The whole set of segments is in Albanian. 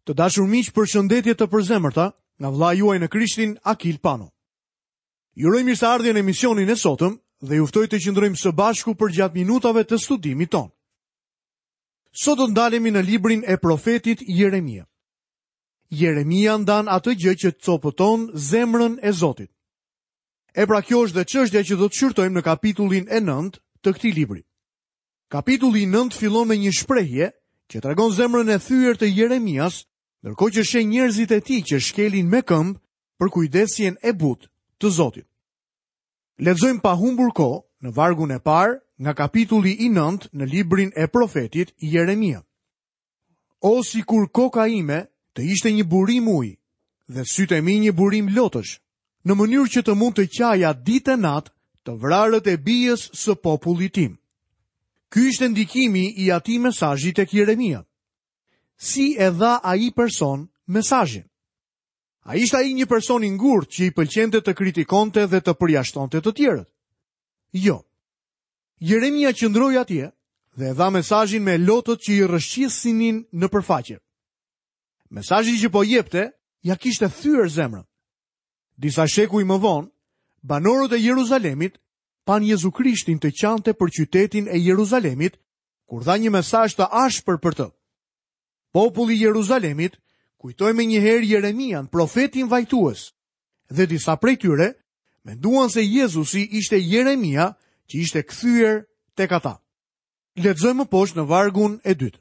Të dashur miq, përshëndetje të përzemërta nga vëllai juaj në Krishtin, Akil Pano. Ju uroj mirëseardhje në emisionin e sotëm dhe ju ftoj të qëndrojmë së bashku përgjatë minutave të studimit tonë. Sot do të ndalemi në librin e profetit Jeremia. Jeremia ndan atë gjë që copëton zemrën e Zotit. E pra kjo është dhe çështja që do të shqyrtojmë në kapitullin e 9 të këtij libri. Kapitulli i 9 fillon me një shprehje që tregon zemrën e thyer të Jeremias, ndërkohë që sheh njerëzit e tij që shkelin me këmbë përkujdesjen e butë të Zotit. Lexojmë pa humbur kohë në vargun e parë nga kapitulli i 9 në librin e profetit Jeremia. O sikur koka ime të ishte një burim uji dhe sytë e mi një burim lotësh, në mënyrë që të mund të qaja ditë e natë të vrarët e bijës së popullit tim. Ky ishte ndikimi i atij mesazhi tek Jeremia. Si e dha ai person mesazhin? A ishte ai një person i ngurtë që i pëlqente të kritikonte dhe të përjashtonte të tjerët? Jo. Jeremia qëndroi atje dhe e dha mesazhin me lotët që i rrëshqisnin nëpër faqe. Mesazhi që po jepte, ia kishte thyer zemrën. Disa shekuj më vonë, banorët e Jeruzalemit panë Jezu Krishtin të qante për qytetin e Jeruzalemit, kur dha një mesazh të ashpër për të. Populli i Jeruzalemit kujtoi menjëherë Jeremian, profetin vajtues, dhe disa prej tyre menduan se Jezusi ishte Jeremia që ishte kthyer tek ata. Lexojmë më poshtë në vargun e dytë.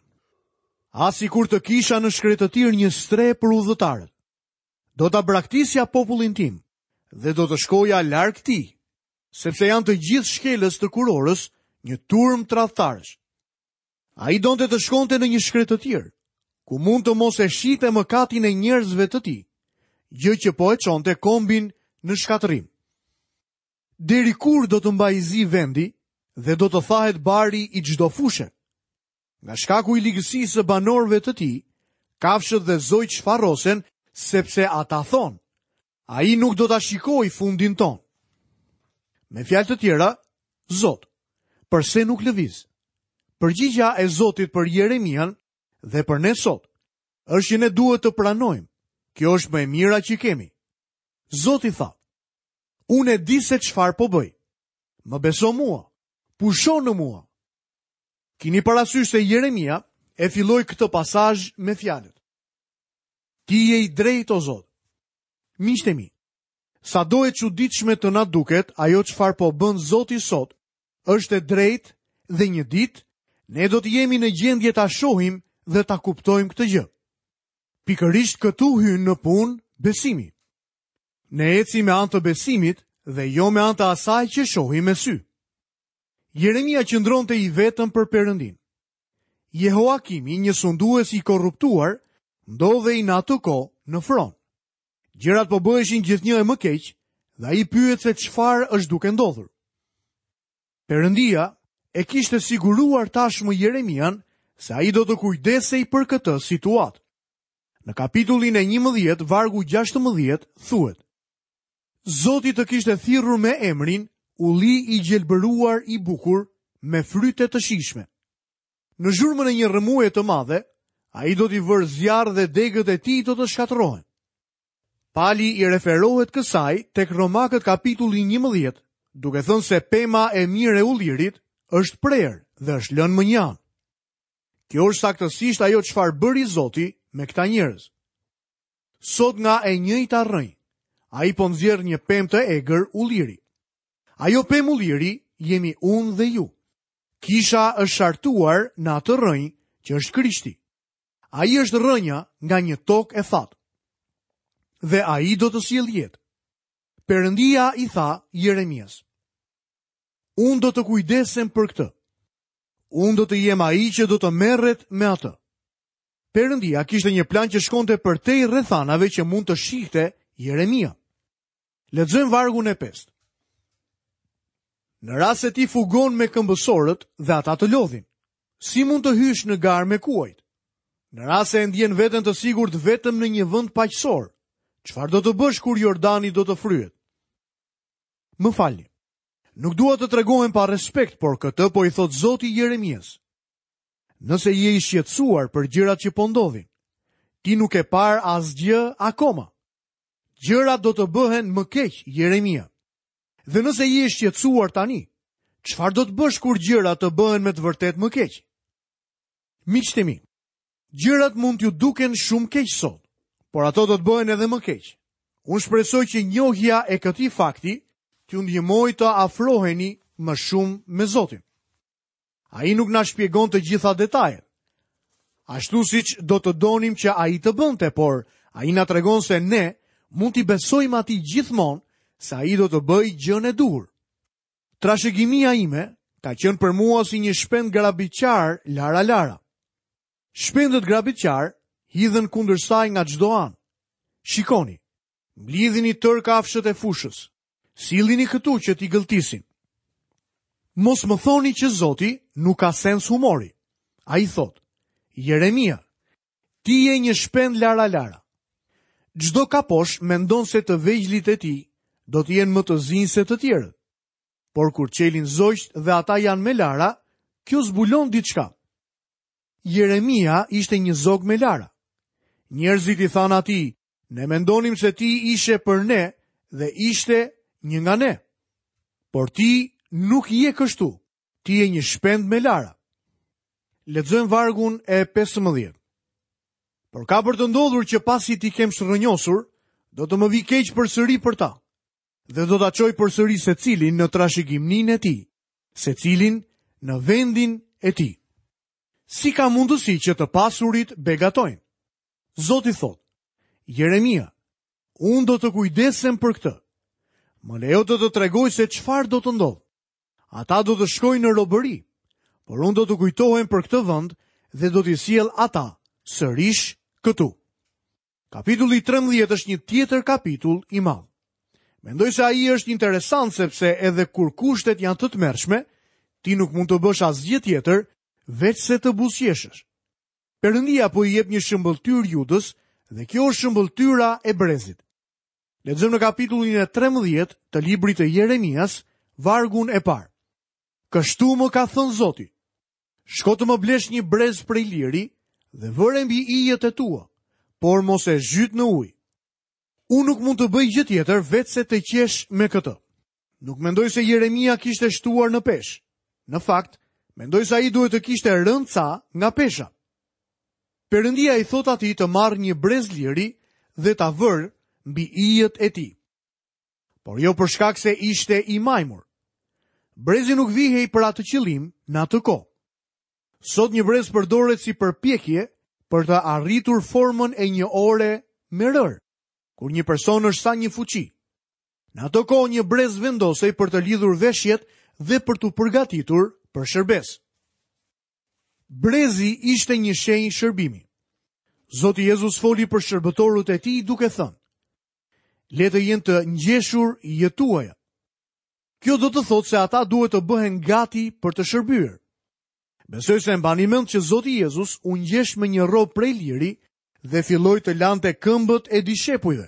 Ah sikur të kisha në shkretëtirë një strehë për udhëtarët. Do ta braktisja popullin tim dhe do të shkoja larg tij, sepse janë të gjithë shkelës të kurorës, një turmë tradhtarësh. Ai donte të shkonte në një shkretëtirë, ku mund të mos e shihte mëkatin e njerëzve të tij, gjë që po e çonte kombin në shkatërrim. Deri kur do të mbajë zi vendi dhe do të thahet bari i çdo fushe? Nga shkaku i ligësisë së banorëve të tij, kafshët dhe zogjtë shfarrosen, sepse ata thonë, ai nuk do ta shikojë fundin tonë. Me fjalë të tjera, Zot, përse nuk lëviz? Përgjigja e Zotit për Jeremian dhe për ne sot është që ne duhet të pranojmë. Kjo është më e mira që kemi. Zoti tha: Unë e di se çfarë po bëj. Më beso mua. Pusho në mua. Kini parasysh se Jeremia e filloi këtë pasazh me fjalët. Ti je i drejtë o Zot. Miqtë e mi, sado e çuditshme të na duket ajo çfarë po bën Zoti sot, është e drejtë dhe një ditë ne do të jemi në gjendje ta shohim dhe ta kuptojmë këtë gjë. Pikërisht këtu hyn në punë besimi. Ne ecim me anë të besimit dhe jo me anë të asaj që shohim me sy. Jeremia qëndronte i vetëm për Perëndinë. Jehoakimi, një sundues i korruptuar, ndodhej në atë kohë në fron. Gjërat po bëheshin gjithnjë e më keq dhe ai pyet se çfarë është duke ndodhur. Perëndia e kishte siguruar tashmë Jeremian se ai do të kujdesej për këtë situatë. Në kapitullin e 11, vargu 16, thuhet: Zoti të kishte thirrur me emrin ulli i gjelbëruar i bukur me fryte të shijshme. Në zhurmën e një rrëmuje të madhe, ai do t'i vërë zjarr dhe degët e tij do të shkatërrohen. Pali i referohet kësaj tek Romakët kapitulli 11, duke thënë se pema e mirë e ullirit është prerë dhe është lënë mënjanë. Kjo është saktësisht ajo çfarë bëri Zoti me këta njerëz. Sot nga e njëjta rrënjë, ai po nxjerr një pemë të egër ulliri. Ajo pemë ulliri jemi unë dhe ju. Kisha është shartuar në atë rrënjë që është Krishti. Ai është rrënja nga një tokë e thatë. Dhe ai do të sjellë jetë. Perëndia i tha Jeremias: Unë do të kujdesem për këtë. Unë do të jem ai që do të merret me atë. Perëndia kishte një plan që shkonte përtej rrethanave që mund të shihte Jeremia. Lexojmë vargun e pestë. Në rast se ti fugon me këmbësorët dhe ata të lodhin, si mund të hysh në garë me kuajt? Në rast se e ndjen veten të sigurt vetëm në një vend paqësor, çfarë do të bësh kur Jordani do të fryhet? Më falni. Nuk dua të tregohem pa respekt, por këtë po i thotë Zoti Jeremias. Nëse je i shqetësuar për gjërat që po ndodhin, ti Ti nuk ke parë asgjë akoma. Gjërat do të bëhen më keq, Jeremia. Dhe nëse je i shqetësuar tani, çfarë do të bësh kur gjërat të bëhen me të vërtetë më keq? Miqtë e mi, gjërat mund t'ju duken shumë keq sot, por ato do të bëhen edhe më keq. Unë shpresoj që njohja e këtij fakti t'ju ndihmojë të afroheni më shumë me Zotin. Ai nuk na shpjegon të gjitha detajet. Ashtu siç do të donim që ai të bënte, por ai na tregon se ne mund t'i besojmë atij gjithmonë se ai do të bëjë gjënë e duhur. Trashëgimia ime ka qenë për mua si një shpend grabitqar lara lara. Shpendët grabitqarë hidhen kundër saj nga çdo anë. Shikoni, mblidhini tërë kafshët e fushës. Sillini këtu që t'i gëlltisim. Mos më thoni që Zoti nuk ka sens humori. Ai thotë, Jeremia, ti je një shpend lara lara. Çdo kaposh mendon se të vegjlit e tij do të jenë më të zinj se të tjerët. Por kur çelin zogjtë dhe ata janë me lara, kjo zbulon diçka. Jeremia ishte një zog me lara. Njerëzit i thanë atij, Ne mendonim se ti ishe për ne dhe ishte një nga ne. Por ti nuk je kështu. Ti je një shpend me lara. Lexojmë vargun e 15. Por ka për të ndodhur që pasi t'i kem çrrënjosur, do të më vijë keq përsëri për ta. Dhe do ta çoj përsëri secilin në trashëgiminë e tij, secilin në vendin e tij. Si ka mundësi që të pasurit begatojnë? Zoti thotë, Jeremia, unë do të kujdesem për këtë. Më lejo të të tregoj se çfarë do të ndodhë. Ata do të shkojnë në robëri, por unë do të kujtohem për këtë vend dhe do t'i sjell ata sërish këtu. Kapitulli 13 është një tjetër kapitull i madh. Mendoj se ai është interesant sepse edhe kur kushtet janë të tmerrshme, ti nuk mund të bësh asgjë tjetër veçse të buzëqeshësh. Perëndia po i jep një shëmbëlltyrë Judës dhe kjo është shëmbëlltyra e brezit. Lexojmë në kapitullin e 13 të librit të Jeremias, vargun e parë. Kështu më ka thënë Zoti: Shko të më blesh një brez prej liri dhe vëre mbi ijët e tua, por mos e zhyt në ujë. Unë nuk mund të bëj gjë tjetër veçse të qesh me këtë. Nuk mendoj se Jeremia kishte shtuar në peshë. Në fakt, mendoj se ai duhet të kishte rënë ca nga pesha. Perëndia i thotë atij të marrë një brez liri dhe ta vërë mbi ijët e tij. Por jo për shkak se ishte i majmur. Brezi nuk vihej për atë qëllim në atë kohë. Sot një brez përdoret si përpjekje për të arritur formën e një ore me rërë, kur një person është sa një fuçi. Në atë kohë një brez vendosej për të lidhur veshjet dhe për t'u përgatitur për shërbesë. Brezi ishte një shenjë shërbimi. Zoti Jezus foli për shërbëtorët e tij duke thënë: Le të jenë të ngjeshur ijët tuaja. Kjo do të thotë se ata duhet të bëhen gati për të shërbyer. Besoj se e mbani mend që Zoti Jezus u ngjesh me një rrobë prej liri dhe filloi të lante këmbët e dishepujve.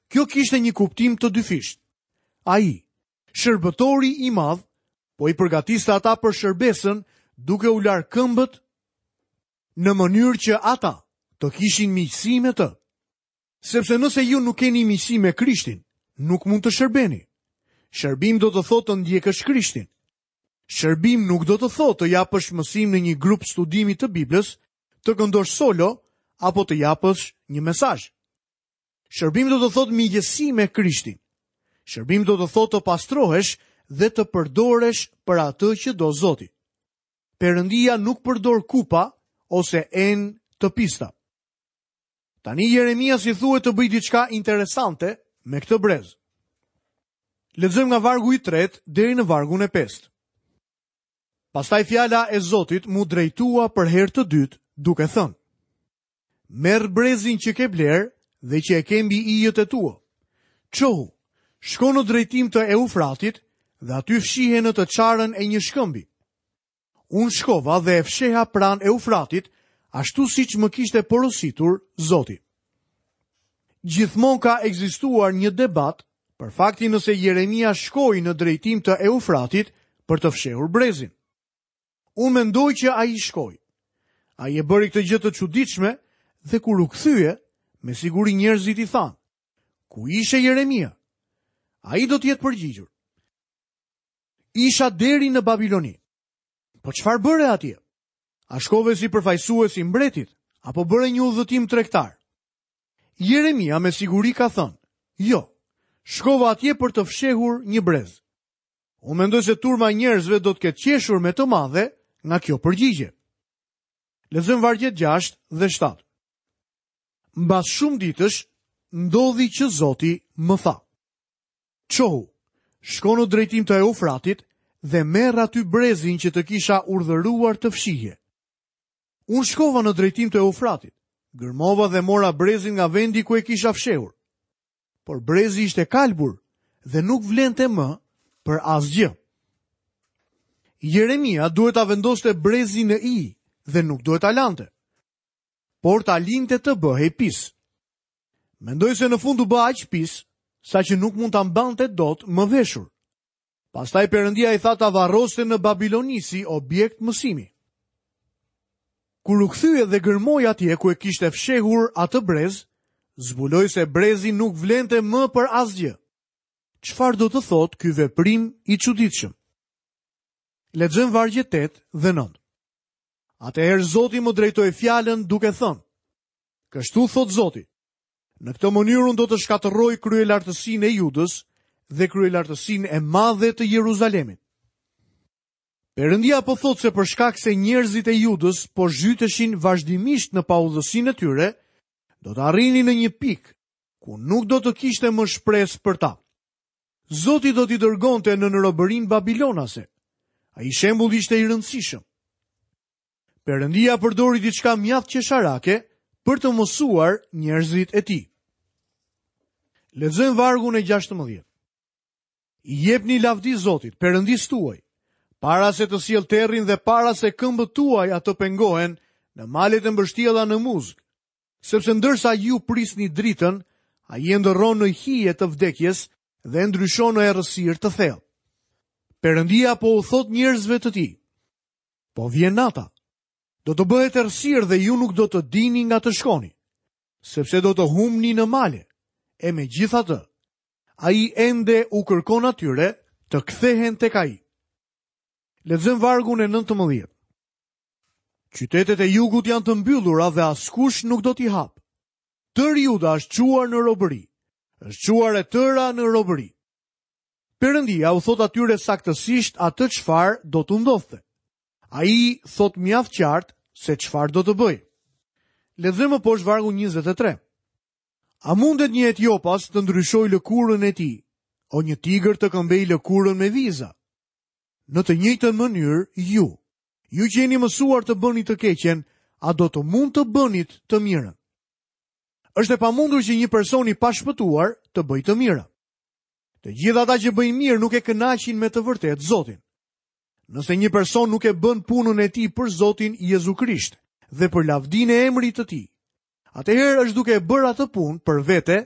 Kjo kishte një kuptim të dyfishtë. Ai, shërbëtori i madh, po i përgatiste ata për shërbesën duke u larë këmbët në mënyrë që ata të kishin miqësi me të. Sepse nëse ju nuk keni miqësi me Krishtin, nuk mund të shërbeni. Shërbim do të thotë të ndjekësh Krishtin. Shërbim nuk do të thotë të japësh mësim në një grup studimi të Biblës, të këndosh solo apo të japësh një mesazh. Shërbim do të thotë miqësi me Krishtin. Shërbim do të thotë të pastrohesh dhe të përdoresh për atë që do Zoti. Perëndia nuk përdor kupa ose enë të pista. Tani Jeremias i thuhet të bëjë diçka interesante me këtë brez. Lexojmë nga vargu i tretë deri në vargun e pestë. Pastaj fjala e Zotit m'u drejtua për herë të dytë duke thënë: Merr brezin që ke blerë dhe që e ke mbi ijët e tua. Çohu, shko në drejtim të Eufratit dhe aty fshihe në të çarën e një shkëmbi. Unë shkova dhe e fsheha pranë Eufratit, ashtu siç më kishte porositur Zoti. Gjithmonë ka ekzistuar një debat për faktin nëse Jeremia shkoi në drejtim të Eufratit për të fshehur brezin. Unë mendoj që ai shkoi. Ai e bëri këtë gjë të çuditshme Dhe kur u kthye, me siguri njerëzit i thanë, ku ishe Jeremia? Ai do të jetë përgjigjur. Isha deri në Babiloni. Po çfarë bëre atje? A shkove si përfaqësues i mbretit apo bëre një udhëtim tregtar? Jeremia me siguri ka thënë, jo, shkova atje për të fshehur një brez. Unë mendoj se turma e njerëzve do të ketë qeshur me të madhe nga kjo përgjigje. Lexojmë vargjet 6 dhe 7. Mbas shumë ditësh, ndodhi që Zoti më tha. Çohu, shko në drejtim të Eufratit dhe merr aty brezin që të kisha urdhëruar të fshihje. Unë shkova në drejtim të Eufratit, gërmova dhe mora brezin nga vendi ku e kisha fshehur. Por brezi ishte kalbur dhe nuk vlente më për asgjë. Jeremia duhet ta vendoste brezin në ijë dhe nuk duhet ta lante, por ta linte të bëhej pis. Mendoj se në fund u bë aq pis, saqë nuk mund ta mbante dot më veshur. Pastaj Perëndia i tha ta varroste në Babiloni si objekt mësimi. Kur u kthye dhe gërmoi atje ku e kishte fshehur atë brez, zbuloi se brezi nuk vlente më për asgjë. Çfarë do të thotë ky veprim i çuditshëm? Lexojmë vargjet 8 dhe 9. Atëherë Zoti më drejtoi fjalën duke thënë: Kështu thotë Zoti, në këtë mënyrë unë do të shkatërroj kryelartësinë e Judës dhe kryelartësinë e madhe të Jeruzalemit. Perëndia po thotë se për shkak se njerëzit e Judës po zhyteshin vazhdimisht në paudhësinë e tyre, do të arrinin në një pikë ku nuk do të kishte më shpresë për ta. Zoti do t'i dërgonte nën robërinë babilonase. Ai shembull ishte i rëndësishëm. Perëndia përdori diçka mjaft qesharake për të mësuar njerëzit e tij. Lexojmë vargun e 16. I jepni lavdi Zotit, Perëndisë tuaj, para se të sjellë terrin dhe para se këmbët tuaja të pengohen në malet e mbështjella në muzg, sepse ndërsa ju prisni dritën, ai e ndërron në hije të vdekjes dhe e ndryshon në errësirë të thellë. Perëndia po u thotë njerëzve të tij, Po vjen nata. Do të bëhet errësirë dhe ju nuk do të dini nga të shkoni, sepse do të humbni në male. E megjithatë, ai ende u kërkon atyre të kthehen tek ai. Lexojmë vargun e 19. Qytetet e jugut janë të mbyllura dhe askush nuk do t'i hapë. Tërë Juda është çuar në robëri. Është çuar e tëra në robëri. Perëndia u thotë atyre saktësisht atë çfarë do t'u ndodhte. Ai thotë mjaft qartë se çfarë do të bëjë. Lexojmë më poshtë vargun 23. A mundet një etiopas të ndryshojë lëkurën e tij, o një tigër të këmbejë lëkurën me viza? Në të njëjtën mënyrë ju, ju që jeni mësuar të bëni të keqen, a do të mund të bënit të mirën? Është e pamundur që një person i pashpëtuar të bëjë të mira. Të gjithë ata që bëjnë mirë nuk e kënaqin me të vërtetë Zotin. Nëse një person nuk e bën punën e tij për Zotin Jezu Krisht dhe për lavdinë e emrit të tij, atëherë është duke e bërë atë punë për vete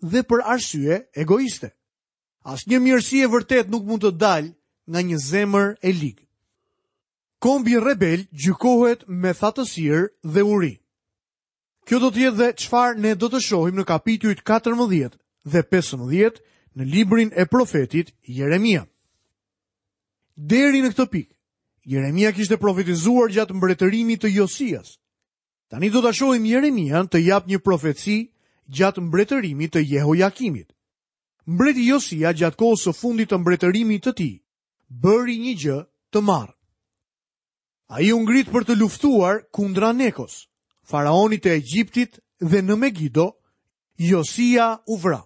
dhe për arsye egoiste. Asnjë mirësi e vërtetë nuk mund të dalë nga një zemër e ligë. Kombi rebel gjykohet me thatësirë dhe uri. Kjo do të jetë dhe çfarë ne do të shohim në kapitujt 14 dhe 15 në librin e profetit Jeremia. Deri në këtë pikë, Jeremia kishte profetizuar gjatë mbretërimit të Josias. Tani do ta shohim Jeremian të japë një profeci gjatë mbretërimit të Jehojakimit. Mbreti Josia gjatë kohës së fundit të mbretërimit të tij bëri një gjë të marrë. Ai u ngrit për të luftuar kundra Nekos, faraonit të Egjiptit dhe në Megido, Josia u vra.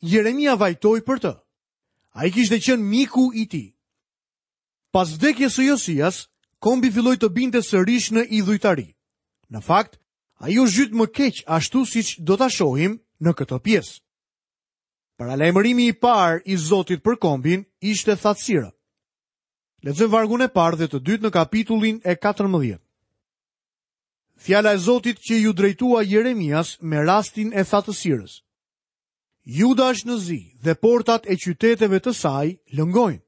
Jeremia vajtoi për të. Ai kishte qenë miku i tij. Pas vdekjes së Josias, kombi filloi të binte sërish në idhujtari. Në fakt, ai u zhyt më keq ashtu siç do ta shohim në këtë pjesë. Paralajmërimi i parë i Zotit për kombin ishte thatësira. Lexojmë vargun e parë dhe të dytë në kapitullin e 14. Fjala e Zotit që iu drejtua Jeremias me rastin e thatësirës. Juda është në zi dhe portat e qyteteve të saj lëngojnë.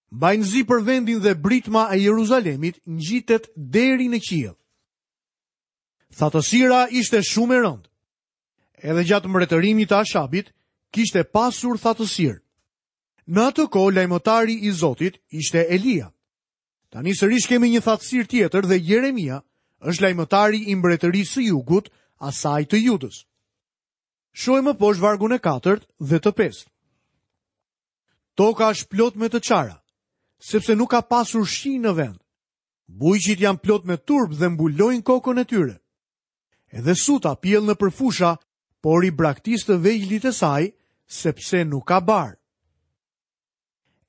Mbajnë zi për vendin dhe britma e Jeruzalemit ngjitet deri në qiell. Thatësira ishte shumë e rëndë. Edhe gjatë mbretërimit të Ashabit, kishte pasur thatësirë. Në atë kohë lajmëtari i Zotit ishte Elia. Tani sërish kemi një thatësirë tjetër dhe Jeremia është lajmëtari i mbretërisë së jugut, asaj të Judës. Shohim më poshtë vargun e katërt dhe të pestë. Toka është plot me të çara, sepse nuk ka pasur shi në vend. Bujqit janë plot me turp dhe mbulojnë kokën e tyre. Edhe suta pjell nëpër fusha, por i braktis të vegjlit e saj, sepse nuk ka bar.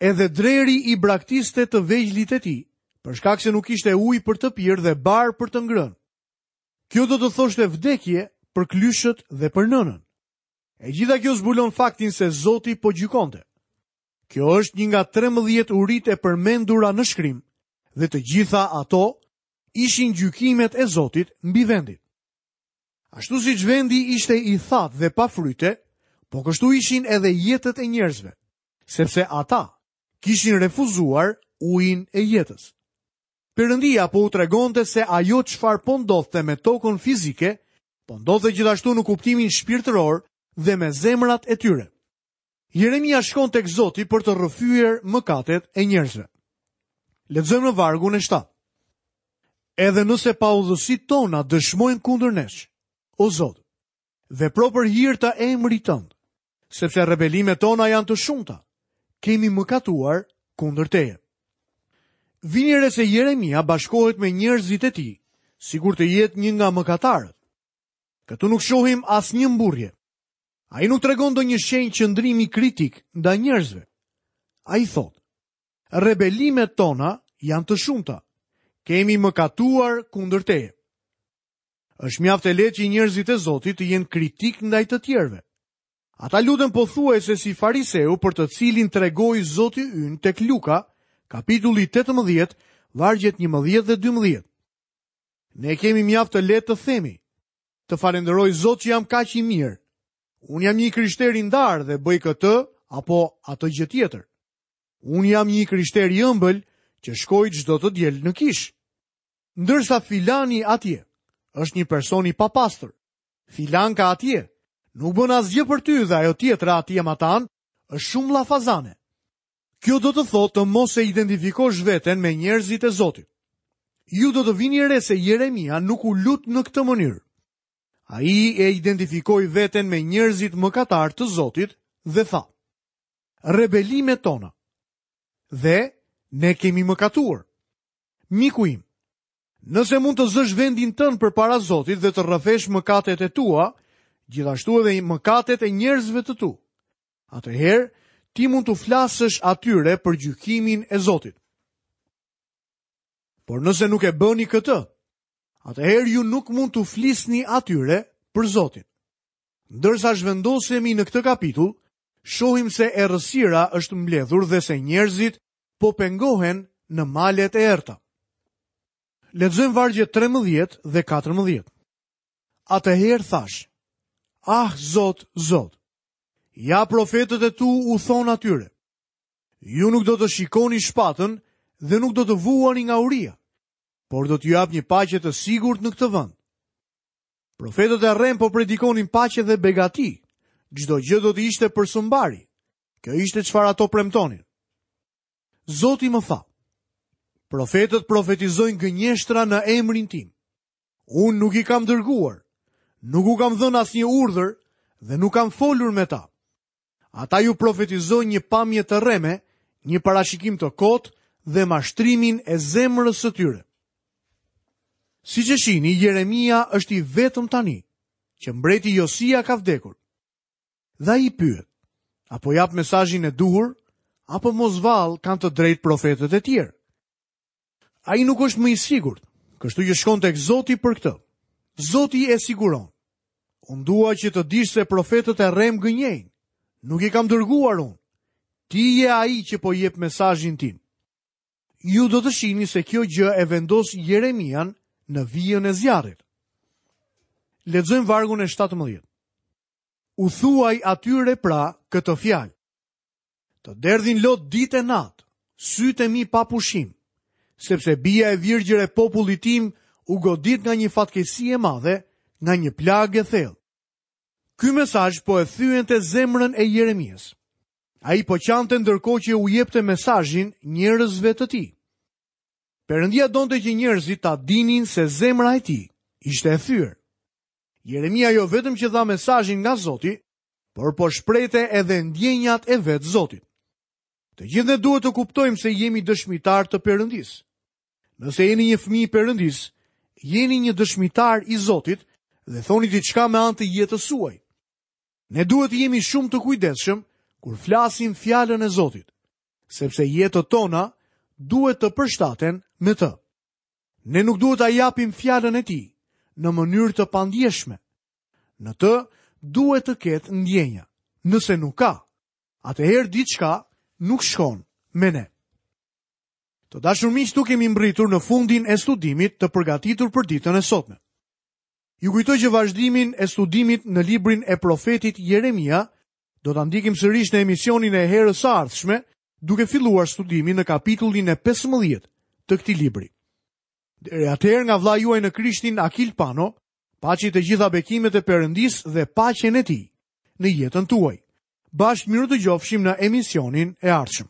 Edhe dreri i braktiste të vegjlit e tij, për shkak se nuk kishte ujë për të pirë dhe bar për të ngrënë. Kjo do të thoshte vdekje për këlyshët dhe për nënën. E gjitha kjo zbulon faktin se Zoti po gjykonte. Kjo është një nga 13 uritë e përmendura në shkrim dhe të gjitha ato ishin gjykimet e Zotit mbi vendin. Ashtu siç vendi ishte i thatë dhe pa fryte, po kështu ishin edhe jetët e njerëzve, sepse ata kishin refuzuar ujin e jetës. Perëndia po u tregonte se ajo çfarë po ndodhte me tokën fizike, po ndodhte gjithashtu në kuptimin shpirtëror dhe me zemrat e tyre. Jeremia shkon tek Zoti për të rrëfyer mëkatet e njerëzve. Lexojmë në vargun e 7. Edhe nëse paudhësitë tona dëshmojnë kundër nesh, o Zot, vepro për hir të emrit tënd, sepse rebelimet tona janë të shumta, kemi mëkatuar kundër teje. Vini re se Jeremia bashkohet me njerëzit e tij, sikur të jetë një nga mëkatarët. Këtu nuk shohim asnjë mburrje. Ai nuk tregon ndonjë shenjë qëndrimi kritik ndaj njerëzve. Ai thotë, rebelimet tona janë të shumta. Kemi mëkatuar kundër teje. Është mjaft e lehtë që njerëzit e Zotit të jenë kritikë ndaj të tjerëve. Ata luten pothuajse si fariseu për të cilin tregoi Zoti ynë tek Luka, kapitulli 18, vargjet 11 dhe 12. Ne kemi mjaft të lehtë të themi, të falënderoj Zot që jam kaq i mirë. Unë jam një i krishterë i ndarë dhe bëj këtë apo atë gjë tjetër. Unë jam një i krishterë i ëmbël që shkoj çdo të diel në kishë. Ndërsa filani atje është një person i papastër. Filanka atje nuk bën asgjë për ty dhe ajo tjetra atje matanë është shumë llafazane. Kjo do të thotë të mos e identifikosh veten me njerëzit e Zotit. Ju do të vini re se Jeremia nuk u lut në këtë mënyrë. Ai e identifikoi veten me njerëzit mëkatarë të Zotit dhe tha: Rebelimet tona. Dhe ne kemi mëkatuar. Miku im, nëse mund të zësh vendin tënd përpara Zotit dhe të rrëfesh mëkatet e tua, gjithashtu edhe mëkatet e njerëzve të tu, atëherë ti mund t'u flasësh atyre për gjykimin e Zotit. Por nëse nuk e bëni këtë, atëherë ju nuk mund t'u flisni atyre për Zotin. Ndërsa zhvendosemi në këtë kapitull, shohim se errësira është mbledhur dhe se njerëzit po pengohen në malet e errëta. Lexojmë vargjet 13 dhe 14. Atëherë thashë, ah, Zot, Zot, ja profetët e tu u thonë atyre, ju nuk do të shikoni shpatën dhe nuk do të vuani nga uria, por do t'ju jap një paqe të sigurt në këtë vend. Profetët e rremë po predikonin paqe dhe begati, çdo gjë do të ishte për së mbari. Kjo ishte çfarë ato premtonin. Zoti më tha, profetët profetizojnë gënjeshtra në emrin tim. Unë nuk i kam dërguar, nuk u kam dhënë asnjë urdhër dhe nuk kam folur me ta. Ata ju profetizojnë një pamje të rreme, një parashikim të kotë dhe mashtrimin e zemrës së tyre. Siç e shihni, Jeremia është i vetëm tani, që mbreti Josia ka vdekur. Dhe ai pyet, a po jap mesazhin e duhur, apo mos vallë kanë të drejtë profetët e tjerë? Ai nuk është më i sigurt, kështu që shkon tek Zoti për këtë. Zoti e siguron. Unë dua që të dish se profetët e rremë gënjejnë. Nuk i kam dërguar unë. Ti je ai që po jep mesazhin tim. Ju do të shihni se kjo gjë e vendos Jeremian në vijën e zjarrit. Lexojmë vargun e 17. U thuaj atyre pra këtë fjalë. Të derdhin lot ditë e natë, sytë e mi pa pushim, sepse bija e virgjër e popullit tim u godit nga një fatkeqësi e madhe, nga një plagë e thellë. Ky mesazh po e thyente zemrën e Jeremias. Ai po qante ndërkohë që u jepte mesazhin njerëzve të tij. Perëndia donte që njerëzit ta dinin se zemra e tij ishte e thyer. Jeremia jo vetëm që dha mesazhin nga Zoti, por po shprehte edhe ndjenjat e vetë Zotit. Të gjithë ne duhet të kuptojmë se jemi dëshmitarë të Perëndisë. Nëse jeni një fëmijë i Perëndisë, jeni një dëshmitar i Zotit dhe thoni diçka me anë të jetës suaj. Ne duhet të jemi shumë të kujdesshëm kur flasim fjalën e Zotit, sepse jetët tona duhet të përshtaten me të. Ne nuk duhet ta japim fjalën e tij në mënyrë të pandjeshme. Në të duhet të ketë ndjenja. Nëse nuk ka, atëherë diçka nuk shkon me ne. Të dashur miq, këtu kemi mbërritur në fundin e studimit të përgatitur për ditën e sotme. Ju kujtoj që vazhdimin e studimit në librin e profetit Jeremia do ta ndjekim sërish në emisionin e herës së ardhshme, duke filluar studimin në kapitullin e 15 të këtij libri. Deri atëherë nga vëllai juaj në Krishtin Akil Pano, paçi të gjitha bekimet e Perëndisë dhe paqen e tij në jetën tuaj. Bashkë mirudëgjofshim në emisionin e ardhshëm.